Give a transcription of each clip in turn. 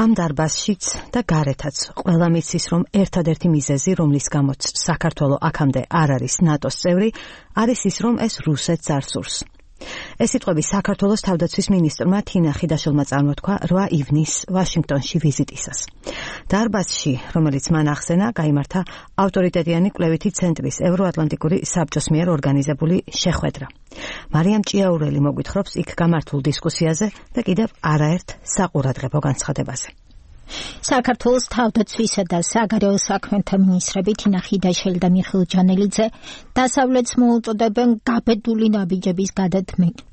ამ დარბაზშიც და გარეთაც ყველა მიცის, რომ ერთადერთი მიზეზი, რომლის გამოც საქართველო აქამდე არ არის ნატოს წევრი, არის ის, რომ ეს რუსეთს არ სურს. ეს სიტყვები საქართველოს თავდაცვის მინისტრმა თინა ხიდაშელმა წარმოთქვა 8 ივნისს ვაშინგტონში ვიზიტისას. დარბაზში, რომელიც მან ახსენა, გაიმართა ავტორიტეტიანი კვლევითი ცენტრის ევროატლანტიკური საბჭოს მიერ ორგანიზებული შეხვედრა. მარიამ ჭიაურელი მოგვითხრობს იქ გამართულ დისკუსიაზე და კიდევ არაერთ საყურადღებო განცხადებაზე. საქართველოს თავდაცვისა და საგარეო საქმეთა მინისტრები თინა ხიდაშელი და მიხეილ ჯანელიძე დასავლეთს მოუწოდებენ გაბედული ნაბიჯების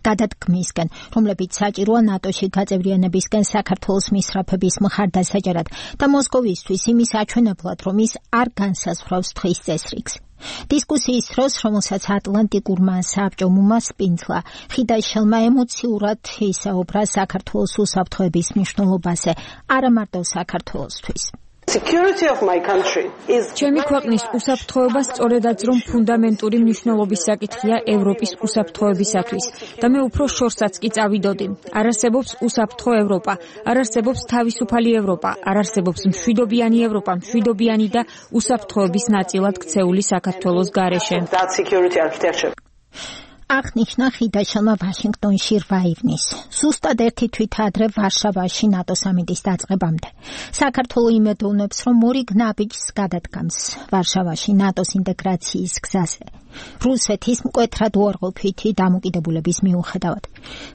გადადგმისკენ, რომლებიც საჭიროა ნატოში გაწევრიანებისკენ საქართველოს მისწრაფების მხარდასაჭერად და მოსკოვისთვის იმის აჩვენებლად, რომ ის არ განსაზღვრავს თხრის წესრიგს. დისკუსიის დროს, რომელსაც ატლანტიკურმა საბჭომ უმასპინძლა, ხიდაშელმა ემოციურად ისაუბრა საქართველოს უსაფრთხოების მნიშვნელობაზე, არა მარტო საქართველოსთვის. ჩემი ქვეყნის უსაფრთხოება სწორედაც რომ ფუნდამენტური მნიშვნელობის საკითხია ევროპის უსაფრთხოებისათვის და მე უფრო შორსაც კი წავიდოდი. არ არსებობს უსაფრთხო ევროპა, არ არსებობს თავისუფალი ევროპა, არ არსებობს მშვიდობიანი ევროპა, მშვიდობიანი და უსაფრთხოების ნაწილად ქცეული საქართველოს გარეშე. აღნიშნა ხიდაშელმა ვაშინგტონში 8 ივნისს, ზუსტად ერთი თვით ადრე ვარშავაში ნატო სამიტის დაწყებამდე. საქართველო იმედოვნებს, რომ მორიგ ნაბიჯს გადადგამს ვარშავაში ნატოს ინტეგრაციის გზაზე. რუსეთის მკვეთრად უარყოფითი დამოკიდებულების მიუხედავად.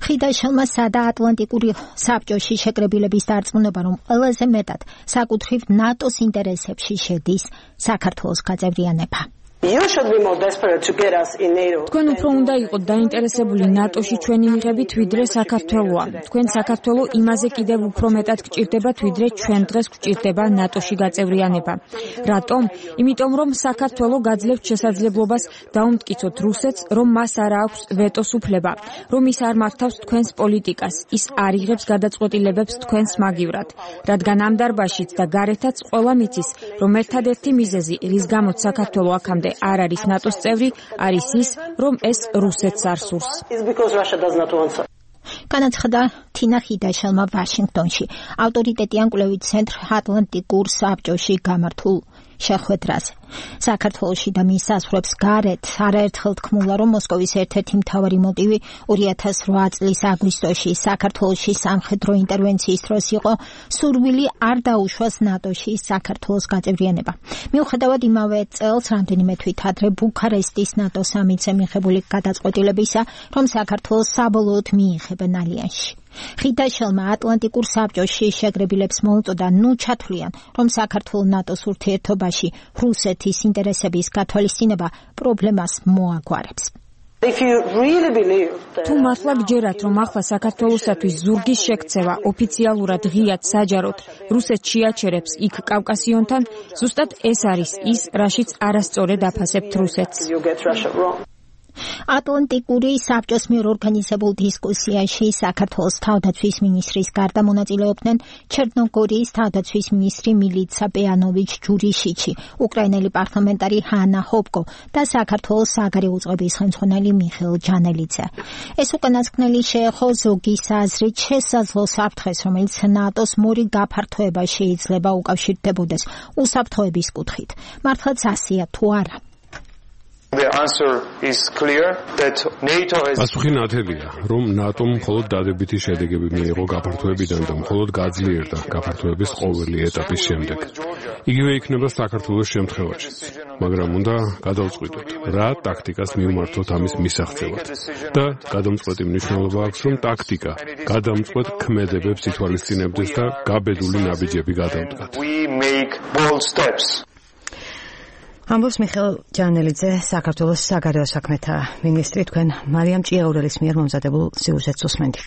ხიდაშელმა სადა ატლანტიკური საბჭოში შეკრებილების დარწმუნება, რომ ყველაზე მეტად საკუთრივ ნატოს ინტერესებში შედის საქართველოს გაწევრიანება. თქვენ უფრო უნდა იყოთ დაინტერესებული ნატოში ჩვენი მიღებით, ვიდრე საქართველოა. თქვენ საქართველო იმაზე კიდევ უფრო მეტად გჭირდებათ, ვიდრე ჩვენ დღეს გჭირდება ნატოში გაწევრიანება. რატომ? იმიტომ რომ საქართველო გაძლევთ შესაძლებლობას დაუმტკიცოთ რუსეთს, რომ მას არ აქვს ვეტოს უფლება, რომ ის არ მართავს თქვენს პოლიტიკას, ის არ იღებს გადაწყვეტილებებს თქვენს მაგივრად. რადგან ამ დარბაზშიც და გარეთაც ყველა მიცის, რომ ერთადერთი მიზეზი, რის გამოც საქართველო აქამდე არ არის ნატოს წევრი, არის ის, რომ ეს რუსეთს არ სურს. განაცხადა თინა ხიდაშელმა ვაშინგტონში ავტორიტეტიან კვლევით ცენტრ ატლანტიკურ საბჭოში გამართულ შეხვედრაზე. საქართველოში და მის საზღვრებს გარეთ არაერთხელ თქმულა, რომ მოსკოვის ერთ-ერთი მთავარი მოტივი 2008 წლის აგვისტოში საქართველოში სამხედრო ინტერვენციის დროს იყო სურვილი არ დაუშვას ნატოში საქართველოს გაწევრიანება. მიუხედავად იმავე წელს რამდენიმე თვით ადრე ბუქარესტის ნატო სამიტზე მიღებული გადაწყვეტილებისა, რომ საქართველოს საბოლოოდ მიიღებენ ალიანსში. ხიდაშელმა ატლანტიკურ საბჭოში შეკრებილებს მოუწოდა ნუ ჩათვლიან, რომ საქართველოს ნატოს ურთიერთობაში რუსეთის ინტერესების გათვალისწინება პრობლემას მოაგვარებს. თუ მართლა გჯერათ, რომ ახლა საქართველოსათვის ზურგის შექცევა ოფიციალურად ღიად საჯაროდ რუსეთს შეაჩერებს იქ კავკასიონთან, ზუსტად ეს არის ის, რაშიც არასწორად აფასებთ რუსეთს. ატლანტიკური საბჭოს მიერ ორგანიზებულ დისკუსიაში საქართველოს თავდაცვის მინისტრის გარდა მონაწილეობდნენ ჩერნოგორიის თავდაცვის მინისტრი მილიცა პეანოვიჩ ჯურიშიჩი, უკრაინელი პარლამენტარი ჰანა ჰოპკო და საქართველოს საგარეო უწყების ხელმძღვანელი მიხეილ ჯანელიძე. ეს უკანასკნელი შეეხო ზოგის აზრით შესაძლო საფრთხეს, რომელიც ნატოს მორიგ გაფართოება შეიძლება უკავშირდებოდეს უსაფრთხოების კუთხით. მართლაც ასეა თუ არა? პასუხი ნათელია, რომ ნატომ მხოლოდ დადებითი შედეგები მიიღო გაფართოებიდან და მხოლოდ გაძლიერდა გაფართოების ყოველი ეტაპის შემდეგ. იგივე იქნება საქართველოს შემთხვევაშიც, მაგრამ უნდა გადავწყვიტოთ, რა ტაქტიკას მივმართოთ ამის მისაღწევად. და გადამწყვეტი მნიშვნელობა აქვს, რომ ტაქტიკა გადამწყვეტ ქმედებებს ითვალისწინებდეს და გაბედული ნაბიჯები გადავდგათ. ამბობს მიხეილ ჯანელიძე, საქართველოს საგარეო საქმეთა მინისტრი. თქვენ მარიამ ჭიაურელის მიერ მომზადებულ სიუჟეტს უსმენთ.